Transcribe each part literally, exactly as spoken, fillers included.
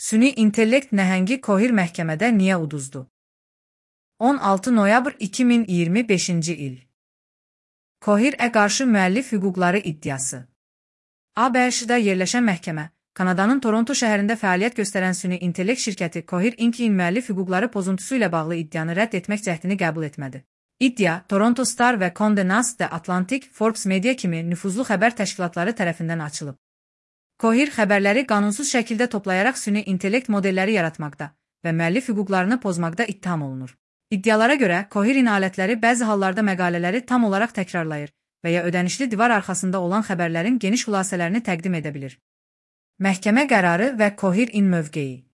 Süni intellekt nəhəngi Cohere məhkəmədə niyə uduzdu? on altı noyabr iki min iyirmi beşinci il. Cohere-ə qarşı müəllif hüquqları iddiası. A B Ş-da yerləşən məhkəmə, Kanadanın Toronto şəhərində fəaliyyət göstərən süni intellekt şirkəti Cohere Inc-in müəllif hüquqları pozuntusu ilə bağlı iddianı rədd etmək cəhdini qəbul etmədi. İddia, Toronto Star və Condé Nast The Atlantic, Forbes Media kimi nüfuzlu xəbər təşkilatları tərəfindən açılıb. Cohere xəbərləri qanunsuz şəkildə toplayaraq süni intellekt modelləri yaratmaqda və müəllif hüquqlarını pozmaqda ittiham olunur. İddialara görə, Cohere-in alətləri bəzi hallarda məqalələri tam olaraq təkrarlayır və ya ödənişli divar arxasında olan xəbərlərin geniş xülasələrini təqdim edə bilir. Məhkəmə qərarı və Cohere-in mövqeyi.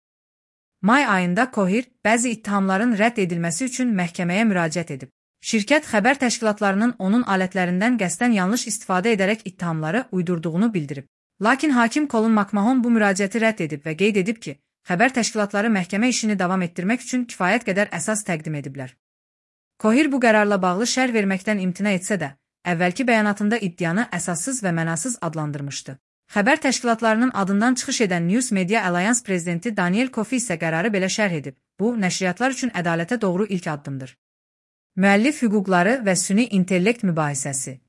May ayında Cohere, bəzi ittihamların rədd edilməsi üçün məhkəməyə müraciət edib. Şirkət xəbər təşkilatlarının onun alətlərindən qəsdən yanlış istifadə edərək ittihamları uydurduğunu bildirib. Lakin hakim Colin McMahon bu müraciəti rədd edib və qeyd edib ki, xəbər təşkilatları məhkəmə işini davam etdirmək üçün kifayət qədər əsas təqdim ediblər. Cohere bu qərarla bağlı şərh verməkdən imtina etsə də, əvvəlki bəyanatında iddianı əsassız və mənasız adlandırmışdı. Xəbər təşkilatlarının adından çıxış edən News Media Alliance prezidenti Daniel Coffey isə qərarı belə şərh edib. Bu, nəşriyyatlar üçün ədalətə doğru ilk addımdır. Müəllif hüquqları və süni intellekt mübahisəsi.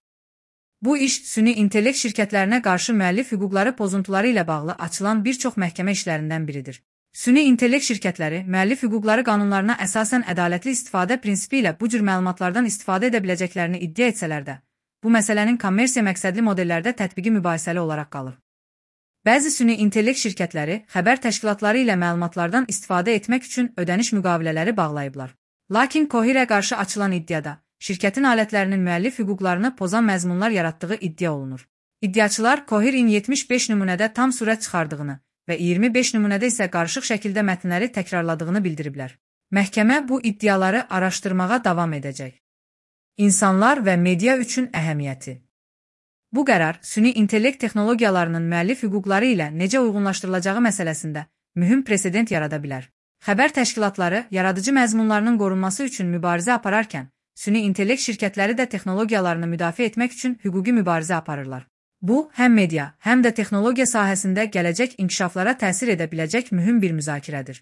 Bu iş, süni intellekt şirkətlərinə qarşı müəllif hüquqları pozuntuları ilə bağlı açılan bir çox məhkəmə işlərindən biridir. Süni intellekt şirkətləri, müəllif hüquqları qanunlarına əsasən ədalətli istifadə prinsipi ilə bu cür məlumatlardan istifadə edə biləcəklərini iddia etsələr də, bu məsələnin kommersiya məqsədli modellərdə tətbiqi mübahisəli olaraq qalır. Bəzi süni intellekt şirkətləri, xəbər təşkilatları ilə məlumatlardan istifadə etmək üçün ödəniş müqavilələri bağlayıblar. Lakin Cohere-ə qarşı açılan iddiada, şirkətin alətlərinin müəllif hüquqlarını pozan məzmunlar yaratdığı iddia olunur. İddiaçılar Cohere-in yetmiş beş nümunədə tam sürət çıxardığını və iyirmi beş nümunədə isə qarışıq şəkildə mətnləri təkrarladığını bildiriblər. Məhkəmə bu iddiaları araşdırmağa davam edəcək. İnsanlar və media üçün əhəmiyyəti. Bu qərar, süni intellekt texnologiyalarının müəllif hüquqları ilə necə uyğunlaşdırılacağı məsələsində mühüm presedent yarada bilər. Xəbər təşkilatları yaradıcı məzmunlarının qorunması üçün mübarizə apararkən, süni intellekt şirkətləri də texnologiyalarını müdafiə etmək üçün hüquqi mübarizə aparırlar. Bu, həm media, həm də texnologiya sahəsində gələcək inkişaflara təsir edə biləcək mühüm bir müzakirədir.